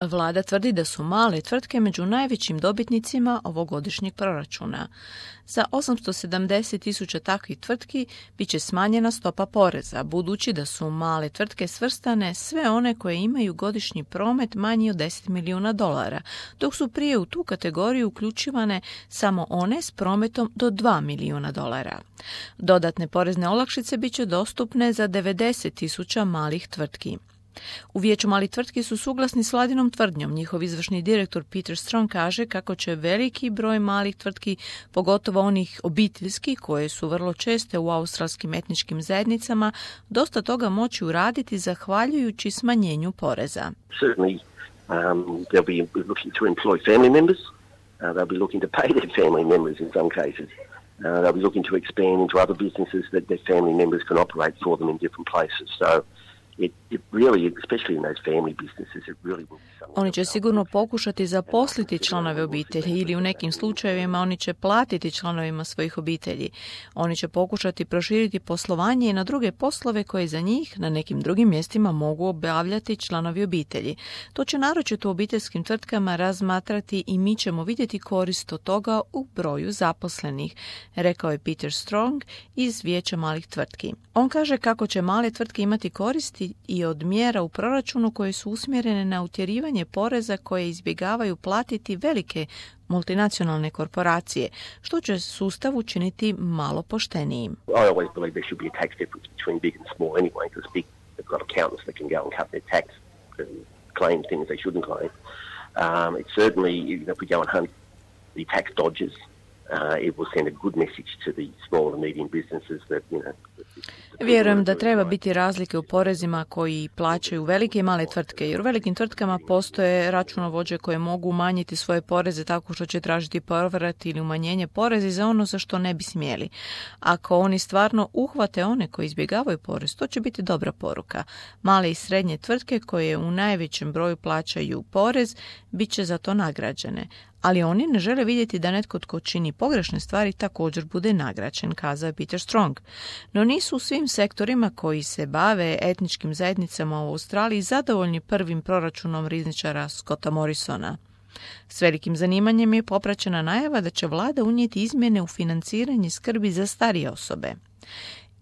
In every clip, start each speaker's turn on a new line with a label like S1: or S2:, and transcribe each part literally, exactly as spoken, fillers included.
S1: Vlada tvrdi da su male tvrtke među najvećim dobitnicima ovogodišnjeg proračuna. Za osamsto sedamdeset tisuća takvih tvrtki bit će smanjena stopa poreza, budući da su male tvrtke svrstane sve one koje imaju godišnji promet manji od deset milijuna dolara, dok su prije u tu kategoriju uključivane samo one s prometom do dva milijuna dolara. Dodatne porezne olakšice bit će dostupne za devedeset tisuća malih tvrtki. U Vijeću malih tvrtki su suglasni s vladinom tvrdnjom. Njihov izvršni direktor Peter Strong kaže kako će veliki broj malih tvrtki, pogotovo onih obiteljskih koje su vrlo česte u australskim etničkim zajednicama, dosta toga moći uraditi zahvaljujući smanjenju poreza.
S2: Certainly, um, they'll be looking to employ family members. Uh, they'll be looking to pay their family members in some cases. Uh, they'll be looking to expand into other businesses that their family members can operate for them in different places. So It, it really, especially in those family businesses, it really will be something.
S1: Oni će sigurno pokušati zaposliti članove obitelji ili u nekim slučajevima oni će platiti članovima svojih obitelji. Oni će pokušati proširiti poslovanje i na druge poslove koje za njih na nekim drugim mjestima mogu obavljati članovi obitelji. To će naročito u obiteljskim tvrtkama razmatrati i mi ćemo vidjeti korist od toga u broju zaposlenih, rekao je Peter Strong iz Vijeća malih tvrtki. On kaže kako će male tvrtke imati koristi i od mjera u proračunu koje su usmjerene na utjerivanje poreza koje izbjegavaju platiti velike multinacionalne korporacije, što će sustav učiniti malo poštenijim.
S2: I always believe there should be a tax difference between big and small anyway, because big they've got accountants that can go and cut their tax and claim things they shouldn't claim. Um, it's certainly, you know, if we go and hunt the tax dodgers, Uh, it will send a good message to the small and medium businesses that, you know.
S1: Vjerujem da treba biti razlike u porezima koji plaćaju velike i male tvrtke, jer u velikim tvrtkama postoje računovođe koje mogu umanjiti svoje poreze tako što će tražiti povrat ili umanjenje poreza za ono za što ne bi smjeli. Ako oni stvarno uhvate one koji izbjegavaju porez, to će biti dobra poruka. Male i srednje tvrtke koje u najvećem broju plaćaju porez bit će za to nagrađene. Ali oni ne žele vidjeti da netko tko čini pogrešne stvari također bude nagrađen, kazao je Peter Strong. No nisu u svim sektorima koji se bave etničkim zajednicama u Australiji zadovoljni prvim proračunom rizničara Scotta Morrisona. S velikim zanimanjem je popraćena najava da će vlada unijeti izmjene u financiranje skrbi za starije osobe.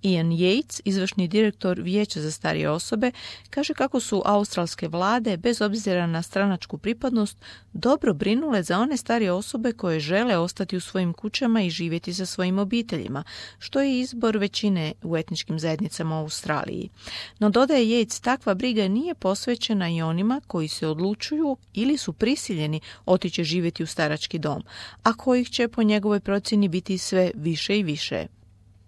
S1: Ian Yates, izvršni direktor Vijeća za starije osobe, kaže kako su australske vlade, bez obzira na stranačku pripadnost, dobro brinule za one starije osobe koje žele ostati u svojim kućama i živjeti sa svojim obiteljima, što je izbor većine u etničkim zajednicama u Australiji. No, dodaje Yates, takva briga nije posvećena i onima koji se odlučuju ili su prisiljeni otići živjeti u starački dom, a kojih će po njegovoj procjeni biti sve više i više.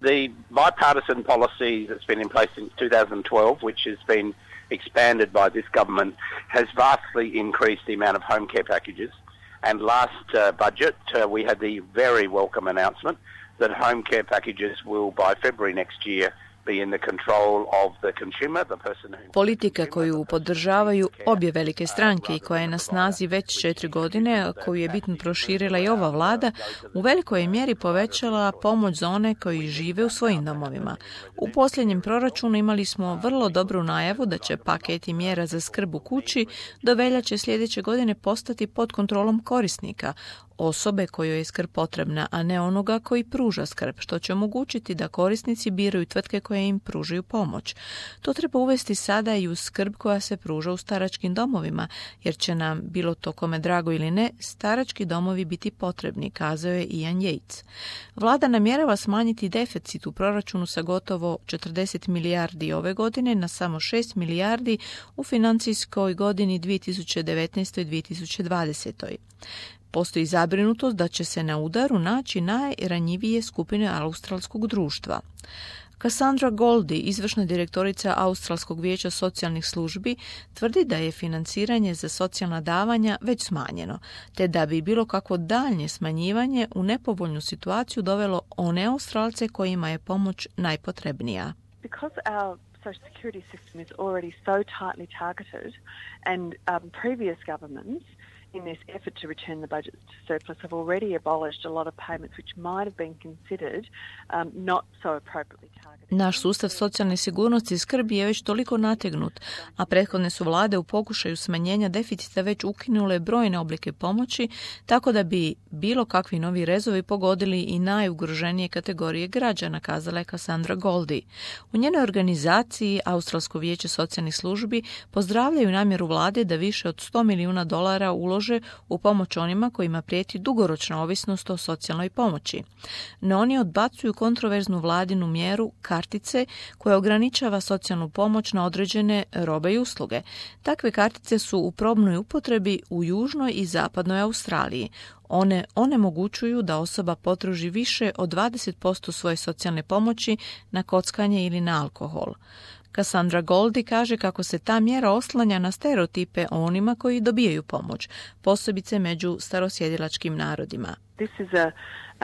S3: The bipartisan policy that's been in place since two thousand twelve, which has been expanded by this government, has vastly increased the amount of home care packages. And last uh, budget, uh, we had the very welcome announcement that home care packages will, by February next year, be in the control of the consumer, the person who...
S1: Politika koju podržavaju obje velike stranke i koja je na snazi već četiri godine, koju je bitno proširila i ova vlada, u velikoj mjeri povećala pomoć za one koji žive u svojim domovima. U posljednjem proračunu imali smo vrlo dobru najavu da će paketi mjera za skrb u kući do veljače sljedeće godine postati pod kontrolom korisnika, osobe kojoj je skrb potrebna, a ne onoga koji pruža skrb, što će omogućiti da korisnici biraju tvrtke koje im pružaju pomoć. To treba uvesti sada i u skrb koja se pruža u staračkim domovima, jer će nam, bilo to kome drago ili ne, starački domovi biti potrebni, kazao je Ian Yates. Vlada namjerava smanjiti deficit u proračunu sa gotovo četrdeset milijardi ove godine na samo šest milijardi u financijskoj godini dvije tisuće devetnaestoj dvije tisuće dvadesetoj. Postoji zabrinutost da će se na udaru naći najranjivije skupine australskog društva. Cassandra Goldie, izvršna direktorica Australskog vijeća socijalnih službi, tvrdi da je financiranje za socijalna davanja već smanjeno, te da bi bilo kakvo daljnje smanjivanje u nepovoljnu situaciju dovelo one Australce kojima je pomoć najpotrebnija.
S4: Because our social security system is already so tightly targeted and um, previous governments in this effort to return the budget to surplus, have already abolished a lot of payments which might have been considered um, not so appropriately targeted.
S1: Naš sustav socijalne sigurnosti i skrbi je već toliko nategnut, a prethodne su vlade u pokušaju smanjenja deficita već ukinule brojne oblike pomoći, tako da bi bilo kakvi novi rezovi pogodili i najugroženije kategorije građana, kazala je Cassandra Goldie. U njenoj organizaciji Australsko vijeće socijalnih službi pozdravljaju namjeru vlade da više od sto milijuna dolara ulože u pomoć onima kojima prijeti dugoročna ovisnost o socijalnoj pomoći. No oni odbacuju kontroverznu vladinu mjeru kartice koja ograničava socijalnu pomoć na određene robe i usluge. Takve kartice su u probnoj upotrebi u južnoj i zapadnoj Australiji. One onemogućuju da osoba potroši više od dvadeset posto svoje socijalne pomoći na kockanje ili na alkohol. Cassandra Goldie kaže kako se ta mjera oslanja na stereotipe o onima koji dobijaju pomoć, posebice među starosjedilačkim narodima.
S4: This is a,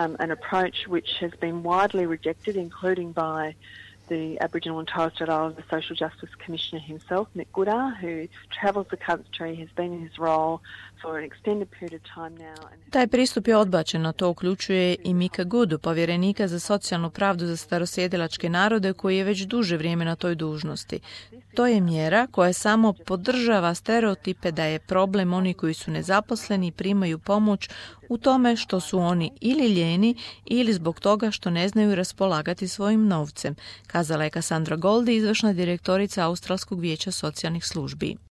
S4: um, an approach which has been widely rejected, including by the Aboriginal and Torres Strait Islander Social Justice Commissioner himself, Nick Goodar, who travels the country, has been in his role for an extended period of time now. And
S1: Taj pristup je odbačen, a to uključuje i Mika Goodu, povjerenika za socijalnu pravdu za starosjedilačke narode koji je već duže vrijeme na toj dužnosti. To je mjera koja samo podržava stereotipe da je problem oni koji su nezaposleni i primaju pomoć u tome što su oni ili lijeni ili zbog toga što ne znaju raspolagati svojim novcem, kazala je Cassandra Goldie, izvršna direktorica Australskog vijeća socijalnih službi.